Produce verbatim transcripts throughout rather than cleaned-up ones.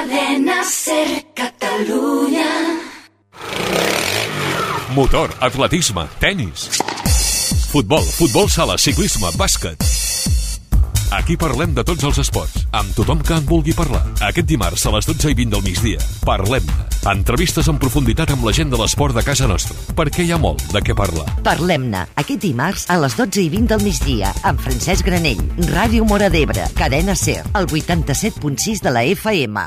Cadena Ser Catalunya. Motor, atletisme, tenis, futbol, futbol sala, ciclisme, bàsquet. Aquí parlem de tots els esports, amb tothom que en vulgui parlar. Aquest dimarts a les dotze i vint del migdia, parlem-ne. Entrevistes en profunditat amb la gent de l'esport de casa nostra, perquè hi ha molt de què parlar. Parlem-ne, aquest dimarts a les dotze i vint del migdia, amb Francesc Granell, Ràdio Móra d'Ebre, Cadena Ser, el vuitanta-set punt sis de la F M.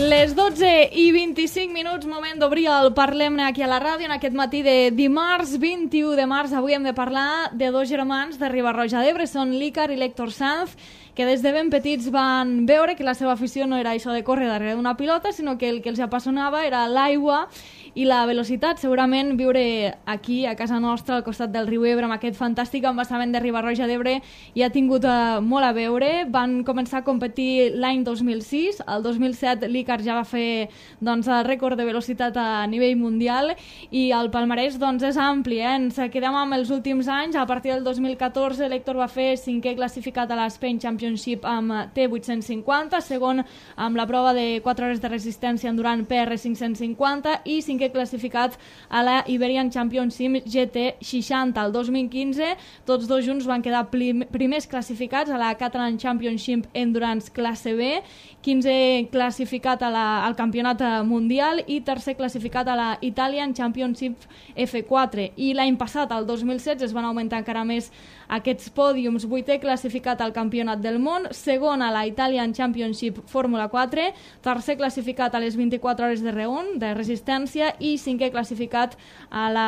Les dotze i vint-i-cinc minuts, moment d'obrir el Parlem-ne aquí a la ràdio en aquest matí de dimarts vint-i-u de març. Avui hem de parlar de dos germans de Riba-roja d'Ebre, són l'Ícar i l'Héctor Sanz, que des de ben petits van veure que la seva afició no era això de córrer darrere d'una pilota, sinó que el que els apassionava era l'aigua i la velocitat. Segurament viure aquí, a casa nostra, al costat del riu Ebre, amb aquest fantàstic embassament de Riba-roja d'Ebre, hi ha tingut uh, molt a veure. Van començar a competir l'any dos mil sis, el dos mil set l'Ícar ja va fer doncs, el rècord de velocitat a nivell mundial i el palmarès doncs, és ampli. Eh? Ens quedem amb els últims anys. A partir del dos mil catorze l'Héctor va fer cinquè classificat a l'Spain Championship amb T vuit-cents cinquanta, segon amb la prova de quatre hores de resistència endurant P R cinc-cents cinquanta i cinquè classificat a la Iberian Championship G T seixanta. El dos mil quinze tots dos junts van quedar prim primers classificats a la Catalan Championship Endurance classe B, quinzè classificat a la, al campionat mundial i tercer classificat a la Italian Championship F quatre. I l'any passat, el dos mil setze, es van augmentar encara més aquests pòdiums. Vuitè classificat al campionat del món, segon a la Italian Championship Fórmula quatre, tercer classificat a les vint-i-quatre hores de reun, de resistència, i cinquè classificat a la,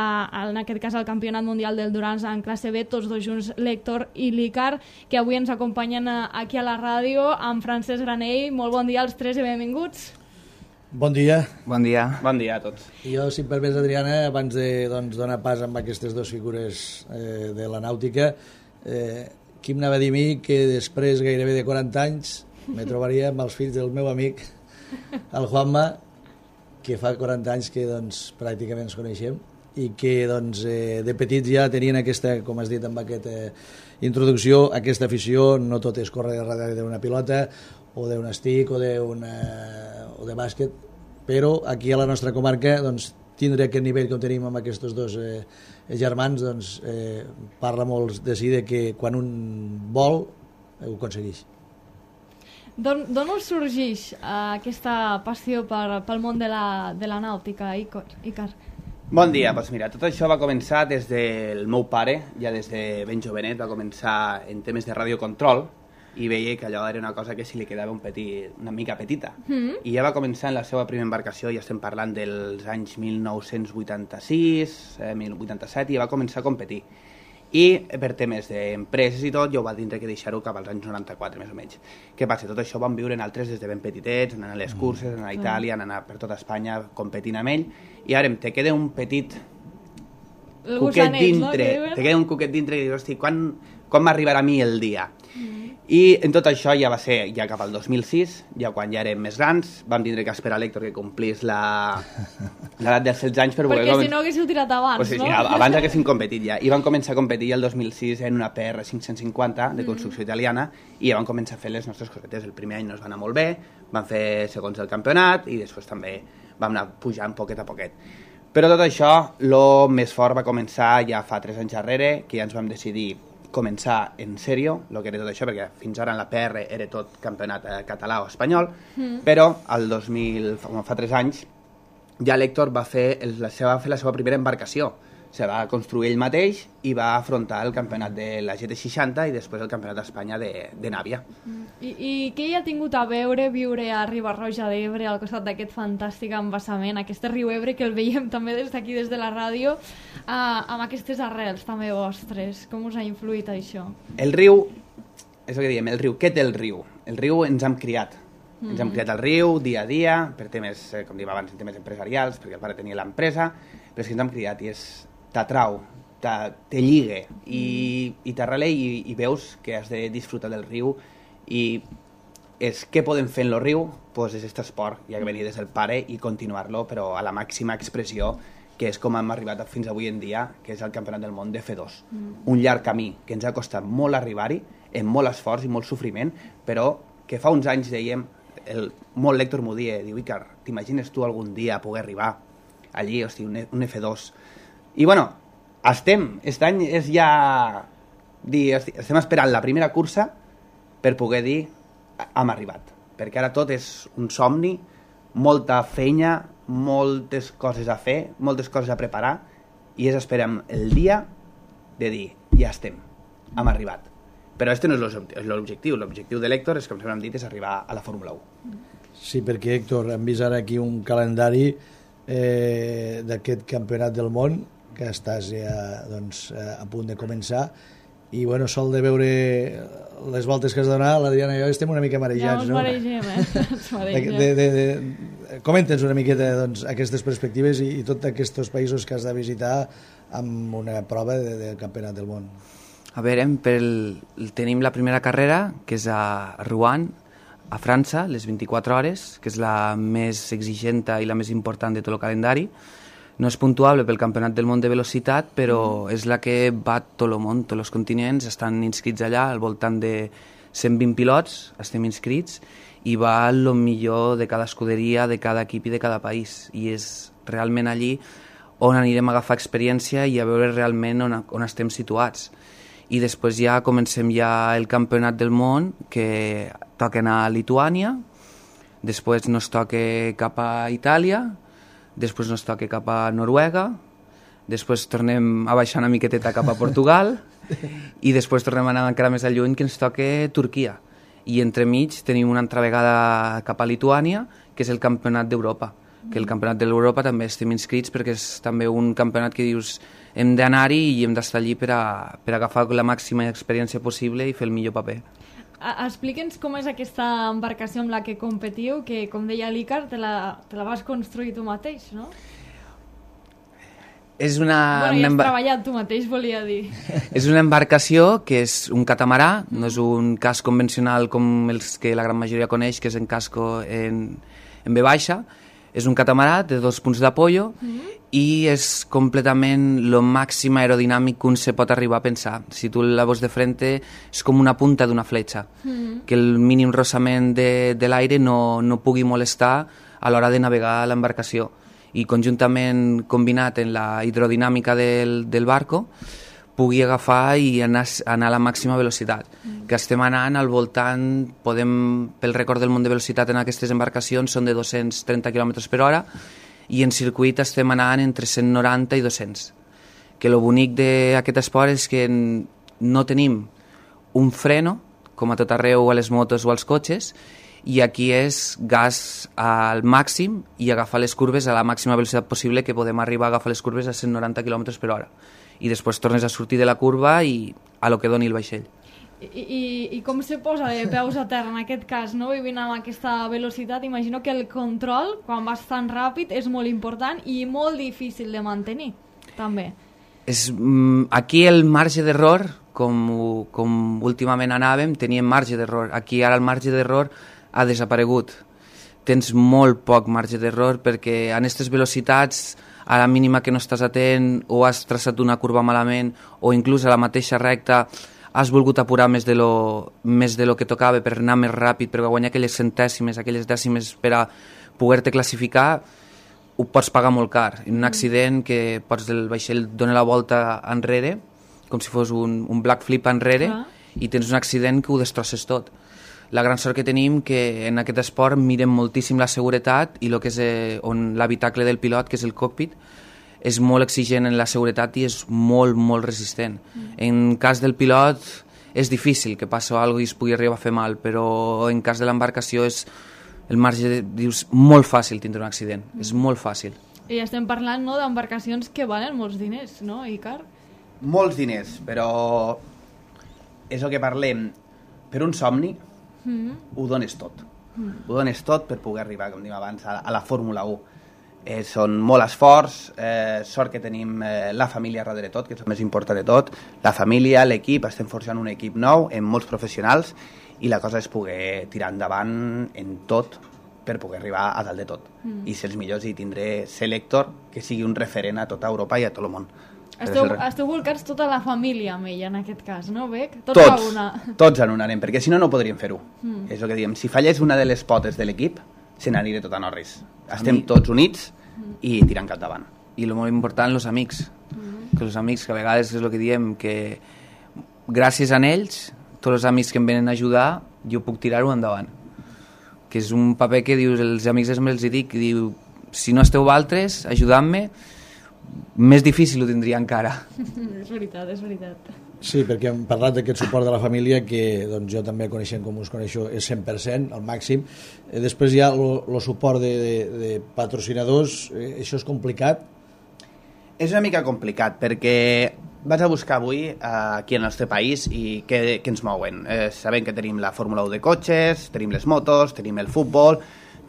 en aquest cas al campionat mundial del Durans en classe B, tots dos junts, l'Héctor i l'Ícar, que avui ens acompanyen aquí a la ràdio amb Francesc Granell. Molt bon dia als tres i benvinguts. Bon dia. Bon dia. Bon dia a tots. Jo, si em permets, Adriana, abans de doncs, donar pas amb aquestes dues figures eh, de la nàutica, eh, qui m'anava a dir a mi que després gairebé de quaranta anys me trobaria amb els fills del meu amic, el Juanma, que fa quaranta anys que doncs, pràcticament ens coneixem i que doncs, eh, de petits ja tenien aquesta, com has dit amb aquesta eh, introducció, aquesta afició. No tot és córrer darrere d'una pilota o d'un stick o, una, o de bàsquet, però aquí a la nostra comarca doncs, tindre aquest nivell que tenim amb aquests dos eh, germans doncs, eh, parla molt de si de que quan un vol ho aconsegueix. D'on us sorgeix uh, aquesta passió per, pel món de la, de la nàutica, Ícar? Bon dia, doncs mira, tot això va començar des del meu pare, ja des de ben jovenet, va començar en temes de radiocontrol i veia que allò era una cosa que si li quedava un petit, una mica petita. Mm. I ja va començar en la seva primera embarcació, ja estem parlant dels anys mil nou-cents vuitanta-sis, eh, mil vuitanta-set, i va començar a competir. I per temes d'empreses i tot, jo va tindre que deixar-ho cap als anys noranta-quatre, més o menys. Què passa? Tot això ho vam viure en altres des de ben petitets, anant a les curses, anant a Itàlia, anant per tota Espanya, competint amb ell, i ara te queda un petit cuquet dintre, no? Te queda un cuquet dintre i dius, hosti, quan, quan m'arribarà a mi el dia? Mm. I en tot això ja va ser ja cap al dos mil sis, ja quan ja érem més grans, vam tindre que esperar l'Héctor que complís l'edat dels setze anys per perquè poder... si no haguéssiu tirat abans, pues sí, no? Sí, abans haguéssim competit ja. I vam començar a competir el dos mil sis en una P R cinc-cents cinquanta de construcció mm. italiana i ja vam començar a fer les nostres cosetes. El primer any no ens va anar molt bé, vam fer segons el campionat i després també vam anar pujant poquet a poquet. Però tot això, el més fort va començar ja fa tres anys darrere, que ja ens vam decidir començar en sèrio, el que era tot això, perquè fins ara en la P R era tot campionat eh, català o espanyol, mm. però el dos mil, fa, fa tres anys, ja l'Héctor va fer, el, la seva, va fer la seva primera embarcació. Se va construir ell mateix i va afrontar el campionat de la G T seixanta i després el campionat d'Espanya de, de Nàvia. Mm. I, I què hi ha tingut a veure viure a Riba-roja d'Ebre, al costat d'aquest fantàstic embassament, aquest riu Ebre que el veiem també des d'aquí, des de la ràdio, uh, amb aquestes arrels també vostres? Com us ha influït això? El riu, és el que diem, el riu, què té el riu? El riu ens hem criat. Mm-hmm. Ens hem criat al riu dia a dia, per temes, eh, com dèiem abans, en temes empresarials, perquè el pare tenia l'empresa, però és que ens hem criat i és... t'atrau, te lligue i, i t'arrele i, i veus que has de disfrutar del riu i és què podem fer en el riu, doncs és aquest esport, ja que venia des del pare, i continuar-lo, però a la màxima expressió, que és com hem arribat fins avui en dia, que és el Campionat del Món de F dos. Mm. Un llarg camí que ens ha costat molt arribar-hi, amb molt esforç i molt sofriment, però que fa uns anys dèiem, el, molt lector m'ho dia, diu, Icar, t'imagines tu algun dia poder arribar allí, hosti, un, un F dos? I bueno, estem, aquest any és ja... Dir, estem esperant la primera cursa per poder dir hem arribat, perquè ara tot és un somni, molta feina, moltes coses a fer, moltes coses a preparar, i és esperem el dia de dir ja estem, hem arribat. Però aquest no és l'objectiu, l'objectiu de l'Héctor és, com sempre hem dit, és arribar a la Fórmula u. Sí, perquè Héctor, hem vist ara aquí un calendari eh, d'aquest campionat del món que estàs ja doncs, a punt de començar. I bueno, sol de veure les voltes que has de donar, l'Adriana i jo estem una mica marejats, no? Ja ens maregem, eh? Ens maregem. De, de, de, comenta'ns una miqueta doncs, aquestes perspectives i, i tots aquests països que has de visitar amb una prova de, de campionat del món. A veure, pel, tenim la primera carrera, que és a Rouen, a França, les vint-i-quatre hores, que és la més exigent i la més important de tot el calendari. No és puntuable pel Campionat del Món de Velocitat, però és la que va tot el món, tots els continents estan inscrits allà, al voltant de cent vint pilots estem inscrits, i va el millor de cada escuderia, de cada equip i de cada país. I és realment allí on anirem a agafar experiència i a veure realment on, on estem situats. I després ja comencem ja el Campionat del Món, que toca anar a Lituània, després nos toca cap a Itàlia, després nos toca cap a Noruega, després tornem a baixar una miqueteta cap a Portugal i després tornem a anar encara més lluny, que ens toca Turquia. I entremig tenim una altra vegada cap a Lituània, que és el Campionat d'Europa, que el Campionat d'Europa també estem inscrits perquè és també un campionat que dius hem d'anar-hi i hem d'estar allí per, a, per agafar la màxima experiència possible i fer el millor paper. Explica'ns com és aquesta embarcació amb la que competiu, que, com deia l'Icar, te, la, te la vas construir tu mateix, no? És una... Bueno, una has emba... treballat tu mateix, volia dir. És una embarcació que és un catamarà, no és un casc convencional com els que la gran majoria coneix, que és en casco en, en V baixa. És un catamarà de dos punts d'apoyo mm-hmm. i és completament el màxim aerodinàmic que un se pot arribar a pensar. Si tu la veus de frente és com una punta d'una fletxa, mm-hmm. que el mínim rossament de, de l'aire no, no pugui molestar a l'hora de navegar l'embarcació. I conjuntament combinat en la hidrodinàmica del, del barco pugui agafar i anar, anar a la màxima velocitat. Mm. Que estem anant al voltant, podem, pel rècord del món de velocitat en aquestes embarcacions són de dos-cents trenta quilòmetres per hora i en circuit estem anant entre cent noranta i dos-cents. Que el bonic d'aquest esport és que no tenim un freno, com a tot arreu a les motos o als cotxes, i aquí és gas al màxim i agafar les curves a la màxima velocitat possible, que podem arribar a agafar les curves a cent noranta quilòmetres per hora. I després tornes a sortir de la curva i a lo que doni el vaixell. I, i, i com se posa de peus a terra en aquest cas, no? Vivint amb aquesta velocitat, imagino que el control, quan vas tan ràpid, és molt important i molt difícil de mantenir, també. És, aquí el marge d'error, com, com últimament anàvem, teníem marge d'error. Aquí ara el marge d'error ha desaparegut. Tens molt poc marge d'error perquè en aquestes velocitats, a la mínima que no estàs atent o has traçat una curva malament o inclús a la mateixa recta has volgut apurar més de lo, més de lo que tocava per anar més ràpid, per guanyar aquelles centèsimes, aquelles dècimes per a poder-te classificar, ho pots pagar molt car. En un accident que pots el vaixell dona la volta enrere, com si fos un, un black flip enrere, ah. i tens un accident que ho destrosses tot. La gran sort que tenim que en aquest esport mirem moltíssim la seguretat i lo que és eh, on l'habitacle del pilot, que és el cockpit, és molt exigent en la seguretat i és molt, molt resistent. Mm. En cas del pilot és difícil que passi alguna cosa i es pugui arribar a fer mal, però en cas de l'embarcació és el marge, de, dius, molt fàcil tindre un accident, mm. és molt fàcil. I estem parlant, no, d'embarcacions que valen molts diners, no, Icar? Molts diners, però és el que parlem. Per un somni, Mm. ho dones tot mm. ho dones tot per poder arribar, com dèiem abans, a, a la Fórmula u. Eh, són molt esforç, eh, sort que tenim eh, la família darrere tot, que és el més important de tot, la família, l'equip, estem forjant un equip nou amb molts professionals i la cosa és poder tirar endavant en tot per poder arribar a dalt de tot mm. i ser els millors i tindré ser l'Héctor que sigui un referent a tota Europa i a tot el món. Esteu, esteu volcats tota la família amb ella en aquest cas, no, Bec? Tots, tots, una. tots en un anem, perquè si no no podríem fer-ho mm. és el que diem, si fallés una de les potes de l'equip se n'aniré tot a Norris. Estem mi... tots units mm. i tirant cap davant. I el molt important, els amics mm. que els amics que a vegades és el que diem que gràcies a ells tots els amics que em venen a ajudar jo puc tirar-ho endavant, que és un paper que dius, els amics els hi dic, diu, si no esteu altres ajudant-me, més difícil ho tindria encara. És veritat, és veritat. Sí, perquè hem parlat d'aquest suport de la família que doncs, jo també coneixent com us coneixo és cent per cent, al màxim. Eh, després hi ha el suport de, de, de patrocinadors, eh, això és complicat? És una mica complicat perquè vaig a buscar avui eh, aquí en el nostre país i què, què ens mouen. Eh, sabem que tenim la Fórmula u de cotxes, tenim les motos, tenim el futbol,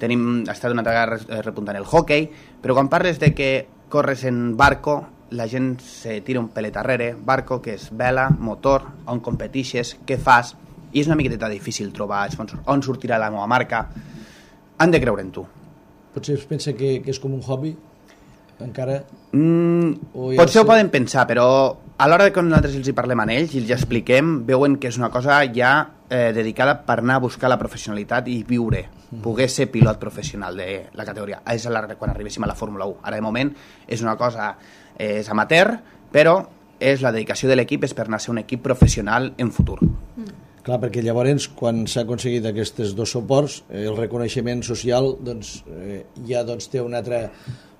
tenim, està d'una altra vegada repuntant el hockey, però quan parles de que corres en barco, la gent se tira un pelet darrere, barco, que és vela, motor, on competixes, què fas, i és una miqueta difícil trobar sponsors. On sortirà la meva marca? Han de creure en tu. Potser es pensa que, que és com un hobby? Encara... Mm, potser ho poden pensar, però a l'hora que nosaltres els hi parlem a ells i els expliquem, veuen que és una cosa ja eh, dedicada per anar a buscar la professionalitat i viure, mm. poder ser pilot professional de la categoria. És la, quan arribéssim a la Fórmula u. Ara de moment és una cosa eh, és amateur, però és la dedicació de l'equip és per anar a ser un equip professional en futur. Mm. Clar, perquè llavors, quan s'ha aconseguit aquests dos suports, eh, el reconeixement social doncs, eh, ja doncs, té una altra...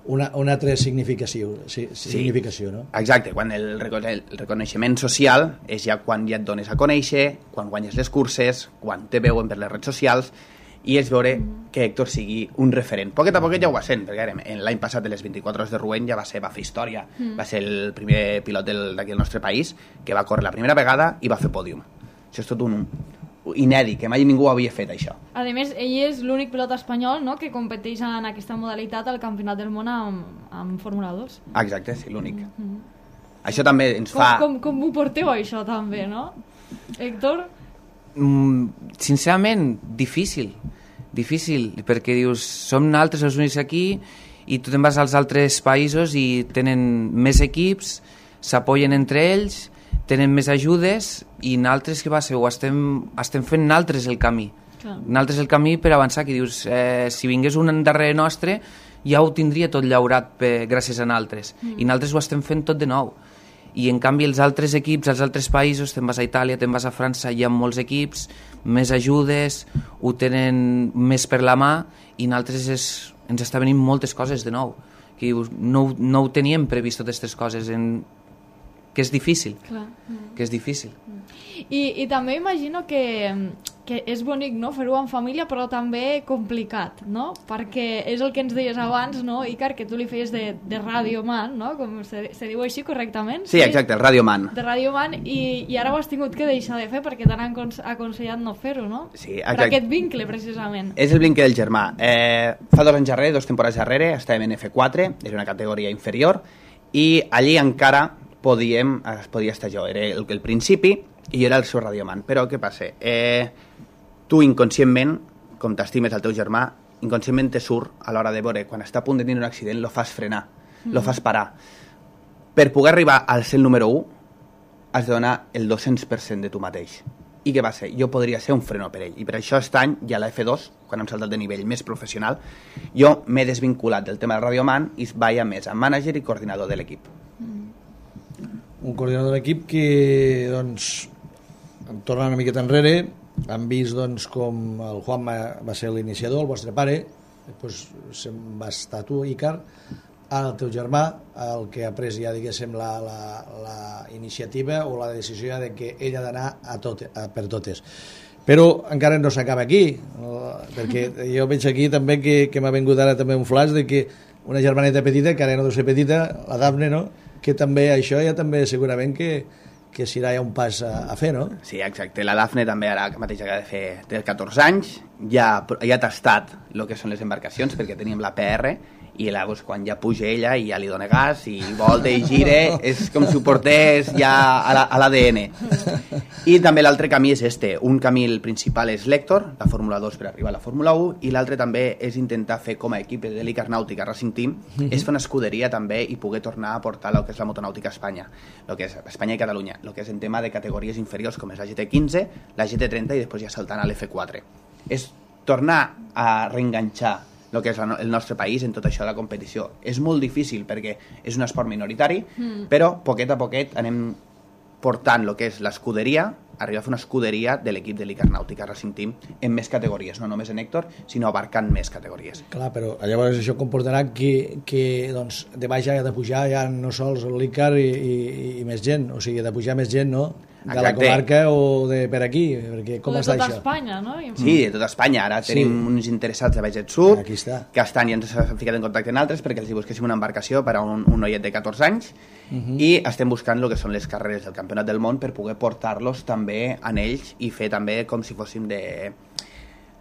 Una, una altra significació, sí, significació sí, no? Exacte, quan el, el reconeixement social és ja quan ja et dones a conèixer, quan guanyes les curses, quan te veuen per les redes socials, i és veure que Héctor sigui un referent. Poquet a poquet ja ho va sent, perquè l'any passat de les vint-i-quatre hores de Rouen ja va ser, va fer història, mm. va ser el primer pilot d'aquí del nostre país que va córrer la primera vegada i va fer pòdium. Això és tot un inèdit, que mai ningú havia fet això. A més, ell és l'únic pilot espanyol, no?, que competeix en aquesta modalitat al Campionat del Món amb, amb Fórmula dos. Exacte, sí, l'únic. Mm-hmm. Això també ens com, fa... Com, com ho porteu, això, també, no? Héctor? Mm, sincerament, difícil. Difícil, perquè dius, som nosaltres els únics aquí i tu te'n vas als altres països i tenen més equips, s'apoyen entre ells, tenen més ajudes i nosaltres què va ser? Ho estem, estem fent nosaltres el camí. Clar. Nosaltres el camí per avançar, que dius, eh, si vingués un darrere nostre ja ho tindria tot llaurat per, gràcies a nosaltres. Mm. I nosaltres ho estem fent tot de nou. I en canvi els altres equips, els altres països, te'n vas a Itàlia, te'n vas a França, hi ha molts equips, més ajudes, ho tenen més per la mà i nosaltres és, ens està venint moltes coses de nou. Que dius, no, no ho teníem previst totes aquestes coses en... que és difícil. Clar. Que és difícil. I, i també imagino que, que és bonic, no?, fer-ho en família, però també complicat, no? Perquè és el que ens deies abans, no, Icar, que tu li feies de, de radioman, no?, com se, se diu així correctament? Sí, exacte, el radioman. De radioman, i, i ara ho has tingut que deixar de fer perquè t'han aconsellat no fer-ho, no? Sí, exacte. Per aquest vincle, precisament. És el vincle del germà. Eh, fa dos anys darrere, dos temporades darrere, estàvem en F quatre, era una categoria inferior, i allí encara podíem, es podia estar jo, era el, el principi i jo era el seu radioman, però què passa? Eh, tu inconscientment, com t'estimes el teu germà, inconscientment te surt a l'hora de veure, quan està a punt de tenir un accident, lo fas frenar, mm. lo fas parar. Per poder arribar al ser el número u, has de donar el dos-cents per cent de tu mateix. I què va ser? Jo podria ser un freno per ell. I per això aquest any, ja a la F dos, quan hem saltat de nivell més professional, jo m'he desvinculat del tema del radioman i vaig a més a mànager i coordinador de l'equip. Un coordinador de l'equip que, doncs, tornant una miqueta enrere, han vist, doncs, com el Juan va ser l'iniciador, el vostre pare, després se'n va estar tu, Icar, ara el teu germà, el que ha pres ja, diguéssim, la, la, la iniciativa o la decisió de que ell ha d'anar a tot, a per totes. Però encara no s'acaba aquí, perquè jo veig aquí també que, que m'ha vingut ara també un flash de que una germaneta petita, que ara no deu ser petita, la Dafne, no?, que també això ja també segurament que, que serà ja un pas a, a fer, no? Sí, exacte. La Dafne també ara mateix acaba de fer té catorze anys, ja, ja ha tastat el que són les embarcacions, perquè teníem la P R, i la, doncs, quan ja puja ella i ja li dona gas i volta i gire, és com si ho portés ja a l'A D N. I també l'altre camí és este. Un camí el principal és l'Hèctor, la Fórmula dos per arribar a la Fórmula u, i l'altre també és intentar fer com a equip de l'Icar Nàutica Racing Team, mm-hmm. és fer una escuderia també i poder tornar a portar el que és la motonàutica a Espanya, el que és Espanya i Catalunya, el que és en tema de categories inferiors com és la G T quinze, la G T trenta i després ja saltant a l'F quatre. És tornar a reenganxar el que és el nostre país en tot això de la competició. És molt difícil perquè és un esport minoritari, mm. però poquet a poquet anem portant el que és l'escuderia, arribar a fer una escuderia de l'equip de l'Icar Nàutica Racing Team en més categories, no només en Hèctor, sinó abarcant més categories. Clar, però llavors això comportarà que, que doncs, de baix ja ha de pujar ja no sols l'Icar i, i, i més gent, o sigui, ha de pujar més gent, no? De Exacte. La comarca o de per aquí, perquè com està això? De tota Espanya, no? Sí, de tota Espanya. Ara tenim sí. uns interessats de Baixet Sud, aquí està. Que estan i ens han ficat en contacte amb altres perquè els busquéssim una embarcació per a un, un noiet de catorze anys uh-huh. i estem buscant el que són les carreres del Campionat del Món per poder portar-los també en ells i fer també com si fóssim de...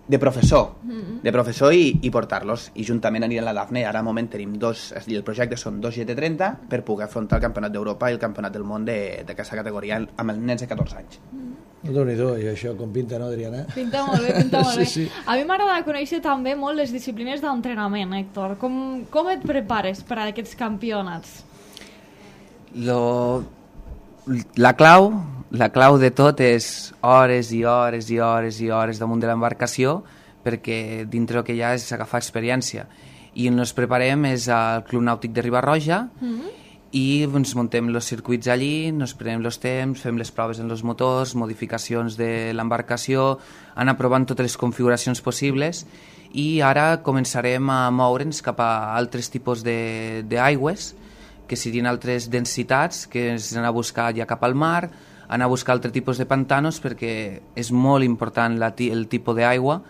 de professor, mm-hmm. de professor i, i portar-los, i juntament aniran a la Dafne. Ara al moment tenim dos, i el projecte són dos G T trenta per poder afrontar el Campionat d'Europa i el Campionat del Món d'aquesta categoria amb els nens de catorze anys. Mm-hmm. Déu-n'hi-do, i això com pinta, no, Adriana? Pinta molt bé, pinta molt bé. Sí, sí. A mi m'agrada conèixer també molt les disciplines d'entrenament, Héctor. Com, com et prepares per a aquests campionats? Lo... La clau, la clau de tot és hores i hores i hores i hores damunt de l'embarcació, perquè dintre el que hi ha és agafar experiència. I on ens preparem és al Club Nàutic de Riba-roja mm-hmm. i ens muntem els circuits allí, ens prenem els temps, fem les proves en els motors, modificacions de l'embarcació, anar provant totes les configuracions possibles, i ara començarem a moure'ns cap a altres tipus d'aigües, que serien altres densitats, que és anar a buscar ja cap al mar, anar a buscar altres tipus de pantanos, perquè és molt important la, el tipus d'aigua,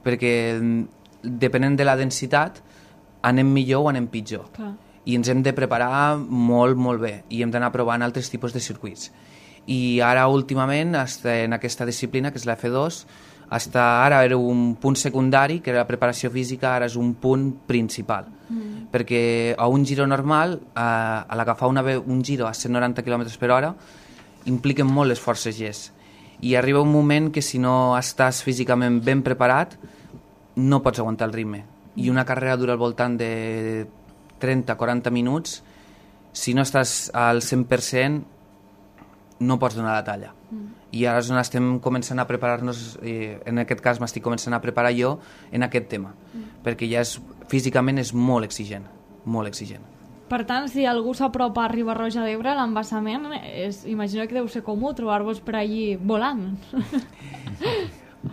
perquè depenent de la densitat anem millor o anem pitjor. Clar. I ens hem de preparar molt, molt bé, i hem d'anar provant altres tipus de circuits. I ara últimament, en aquesta disciplina, que és la F dos, hasta ara era un punt secundari, que era la preparació física, ara és un punt principal. Mm. Perquè a un giro normal, a, a l'agafar una, un giro a cent noranta quilòmetres per hora, impliquen molt les forces G. I arriba un moment que si no estàs físicament ben preparat, no pots aguantar el ritme. I una carrera dura al voltant de trenta a quaranta minuts, si no estàs al cent per cent, no pots donar la talla. Mm. I ara és on estem començant a preparar-nos, eh, en aquest cas m'estic començant a preparar jo en aquest tema, mm. perquè ja és, físicament és molt exigent, molt exigent. Per tant, si algú s'apropa a Riba-roja d'Ebre, l'embassament, és, imagino que deu ser comú trobar-vos per allí volant.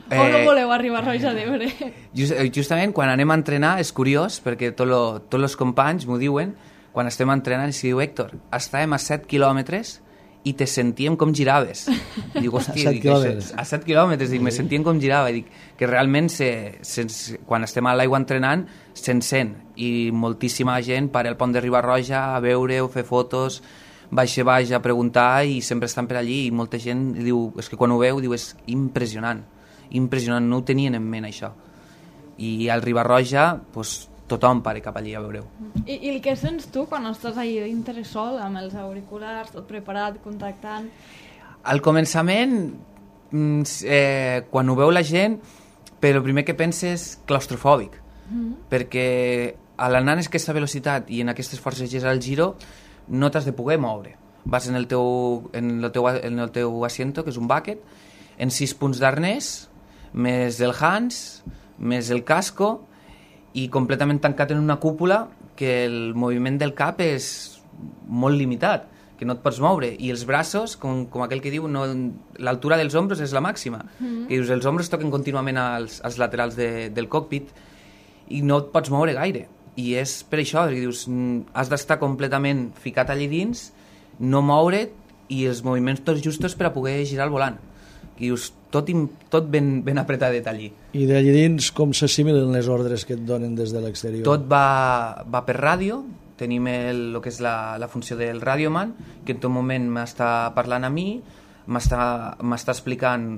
Eh, o no voleu a Riba-roja d'Ebre? Just, justament quan anem a entrenar és curiós, perquè tots lo, tot els companys m'ho diuen, quan estem entrenant, i si diu, Héctor, estàvem a set quilòmetres i te sentíem com giraves. I dic, hòstia, dic, això, a set quilòmetres, dic, me sentíem com girava. I dic que realment se, se, quan estem a l'aigua entrenant se'n sent, i moltíssima gent para el pont de Riba-roja a veure-ho, fer fotos, baix a baix a preguntar, i sempre estan per allí, i molta gent diu, és que quan ho veu diu, és impressionant, impressionant, no ho tenien en ment això. I al Riba-roja, doncs, tothom pare cap allí a veure-ho. I, I el que sents tu quan estàs allà dintre sol, amb els auriculars, tot preparat, contactant? Al començament, eh, quan ho veu la gent, però el primer que pensa és claustrofòbic, mm-hmm. perquè a l'anar en aquesta velocitat i en aquestes forces G al giro no t'has de poder moure. Vas en el teu, en el teu, en el teu asiento, que és un bucket, en sis punts d'arnès, més el Hans, més el casco, i completament tancat en una cúpula que el moviment del cap és molt limitat, que no et pots moure, i els braços, com, com aquell que diu, no, l'altura dels ombros és la màxima, mm-hmm. que dius, els ombros toquen contínuament als, als laterals de, del cockpit i no et pots moure gaire, i és per això, perquè dius, has d'estar completament ficat allí dins, no moure't, i els moviments tots justos per a poder girar el volant, que dius, tot, tot ben, ben apretadet allí. I d'allí dins com s'assimilen les ordres que et donen des de l'exterior? Tot va, va per ràdio, tenim el, el que és la, la funció del radioman, que en tot moment m'està parlant a mi, m'està explicant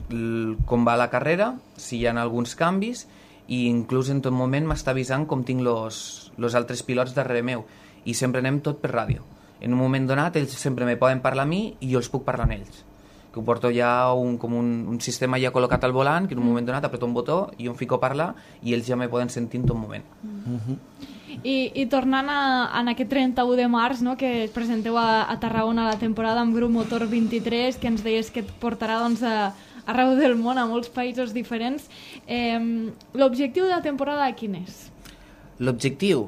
com va la carrera, si hi ha alguns canvis, i inclús en tot moment m'està avisant com tinc els altres pilots darrere meu, i sempre anem tot per ràdio. En un moment donat ells sempre me poden parlar a mi i jo els puc parlar a ells, que ho porto ja un, com un, un sistema ja col·locat al volant, que en un moment donat apreto un botó i jo em fico a parlar i ells ja me poden sentir en tot moment. Mm-hmm. I, i tornant a, a aquest trenta-u de març, no, que es presenteu a, a Tarragona la temporada amb Grup Motor vint-i-tres, que ens deies que et portarà doncs, a, arreu del món, a molts països diferents. Eh, l'objectiu de la temporada quin és? L'objectiu?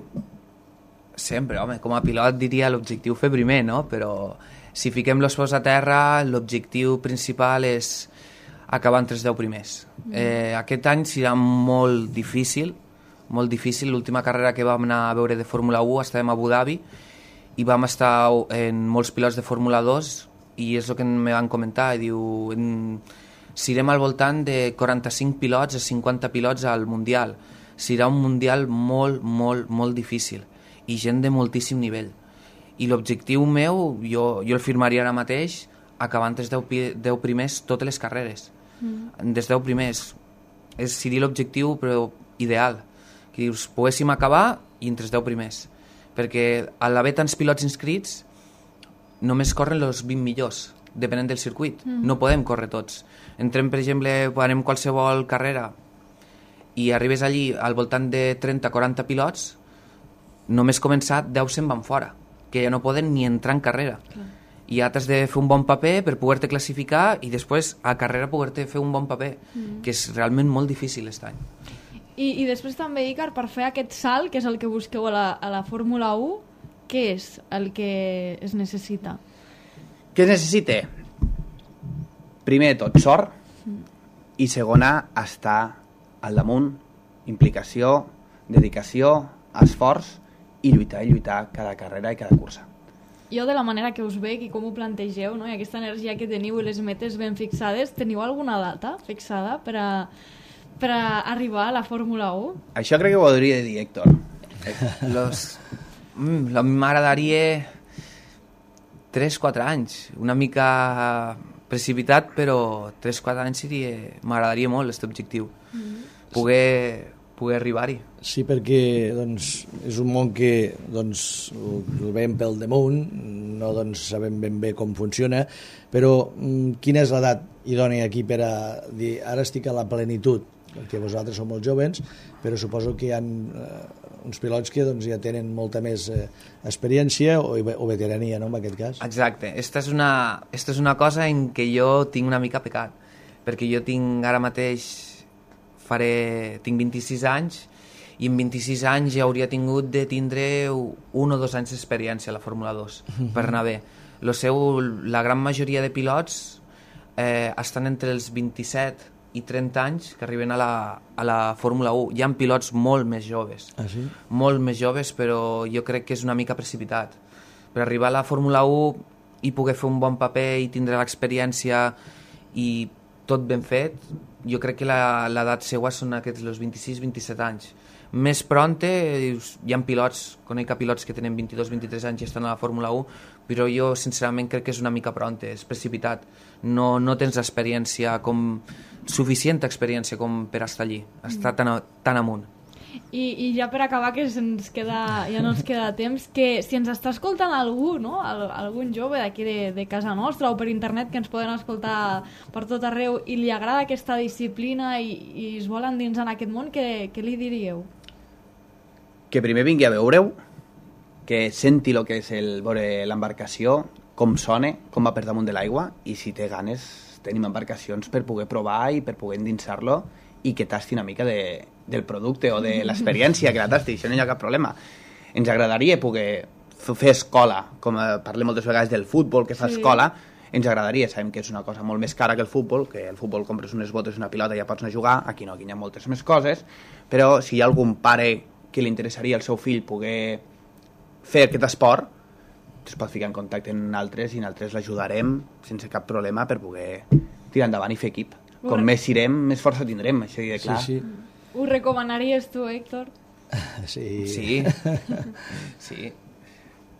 Sempre, home, com a pilot diria l'objectiu fer primer, no? Però si fiquem els peus a terra, l'objectiu principal és acabar entre els deu primers. Eh, aquest any serà molt difícil, molt difícil. L'última carrera que vam anar a veure de Fórmula u estàvem a Abu Dhabi i vam estar en molts pilots de Fórmula dos i és el que me van comentar, i diu, en, serem al voltant de quaranta-cinc pilots a cinquanta pilots al Mundial. Serà un Mundial molt, molt, molt difícil i gent de moltíssim nivell. I l'objectiu meu, jo, jo el firmaria ara mateix, acabant els deu primers totes les carreres. Mm. Des deu primers. És, seria l'objectiu, però ideal. Que dius, poguéssim acabar i entre els deu primers. Perquè a l'haver tants pilots inscrits, només corren els vint millors, depenent del circuit. Mm. No podem córrer tots. Entrem, per exemple, anem qualsevol carrera i arribes allí al voltant de trenta a quaranta pilots, només començat deu se'n van fora, que ja no poden ni entrar en carrera. Clar. I ja t'has de fer un bon paper per poder-te classificar i després a carrera poder-te fer un bon paper, mm. que és realment molt difícil aquest any. I, i després també, Icar, per fer aquest salt, que és el que busqueu a la, a la Fórmula u, què és el que es necessita? Què es necessita? Primer de tot, sort, mm. i segona, estar al damunt, implicació, dedicació, esforç, i lluitar, i lluitar cada carrera i cada cursa. Jo, de la manera que us veig i com ho plantegeu, no? I aquesta energia que teniu i les metes ben fixades, teniu alguna data fixada per a, per a arribar a la Fórmula u? Això crec que ho hauria de dir, Héctor. Los... Mm, m'agradaria tres quatre anys, una mica precipitat, però tres quatre anys seria... m'agradaria molt aquest objectiu. Mm-hmm. Poder... poder arribar-hi. Sí, perquè doncs, és un món que doncs, el veiem pel damunt, no doncs, sabem ben bé com funciona, però mm, quina és l'edat idònia aquí per a dir ara estic a la plenitud? Perquè vosaltres sou molt joves, però suposo que hi ha eh, uns pilots que doncs, ja tenen molta més eh, experiència o, o veterania, no, en aquest cas. Exacte. Esta és, una, esta és una cosa en què jo tinc una mica pecat, perquè jo tinc ara mateix faré, tinc vint-i-sis anys i en vint-i-sis anys ja hauria tingut de tindre un o dos anys d'experiència a la Fórmula dos per anar bé. Lo seu, la gran majoria de pilots eh, estan entre els vint-i-set i trenta anys que arriben a la, a la Fórmula u. Hi ha pilots molt més joves, ah, sí? molt més joves, però jo crec que és una mica precipitat. Per arribar a la Fórmula u i poder fer un bon paper i tindre l'experiència i tot ben fet, jo crec que l'edat seua són aquests els vint-i-sis vint-i-set anys. Més pronte, hi ha pilots, conec pilots que tenen vint-i-dos vint-i-tres anys i estan a la Fórmula u, però jo sincerament crec que és una mica pronte, és precipitat. No, no tens experiència com, suficient experiència com per estar allí, estar tan, a, tan amunt. I, I ja per acabar, que se'ns queda, ja no ens queda temps, que si ens està escoltant algú, no? Al, algun jove d'aquí de, de casa nostra o per internet que ens poden escoltar per tot arreu i li agrada aquesta disciplina i, i es vol endinsar en aquest món, què, què li diríeu? Que primer vingui a veure-ho, que senti el que és el, veure l'embarcació, com sona, com va per damunt de l'aigua, i si té ganes tenim embarcacions per poder provar i per poder endinsar-lo i que tasti una mica de, del producte o de l'experiència que la tasti, això no hi ha cap problema. Ens agradaria poder fer escola, com parlem moltes vegades del futbol, que fa sí. escola, ens agradaria, sabem que és una cosa molt més cara que el futbol, que el futbol compres unes botes i una pilota i ja pots anar a jugar, aquí no, aquí hi ha moltes més coses, però si hi ha algun pare que li interessaria al seu fill poder fer aquest esport, es pot ficar en contacte amb altres i nosaltres l'ajudarem sense cap problema per poder tirar endavant i fer equip. Com més irem, més força tindrem, això de clar. Sí, sí. Ho recomanaries tu, Héctor? Sí. Sí. Sí.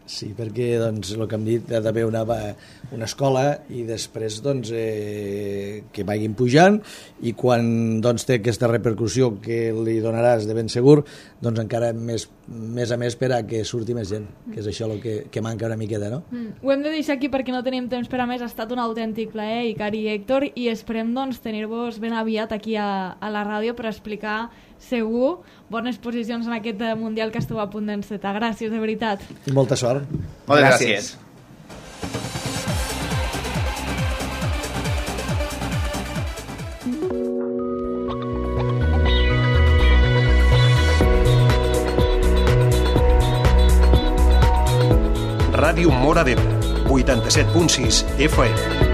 Sí, perquè doncs, el que hem dit, ha d'haver una, una escola i després doncs, eh, que vagin pujant i quan doncs, té aquesta repercussió que li donaràs de ben segur, doncs encara més, més a més per a que surti més gent, que és això el que, que manca una miqueta, no? Mm. Ho hem de deixar aquí perquè no tenim temps per a més. Ha estat un autèntic plaer, Icar i Héctor, i esperem doncs, tenir-vos ben aviat aquí a, a la ràdio per explicar segur bones posicions en aquest Mundial que esteu a punt d'encetar. Gràcies, de veritat. I molta sort. Moltes gràcies. Ràdio Móra d'Ebre, vuitanta-set punt sis F M.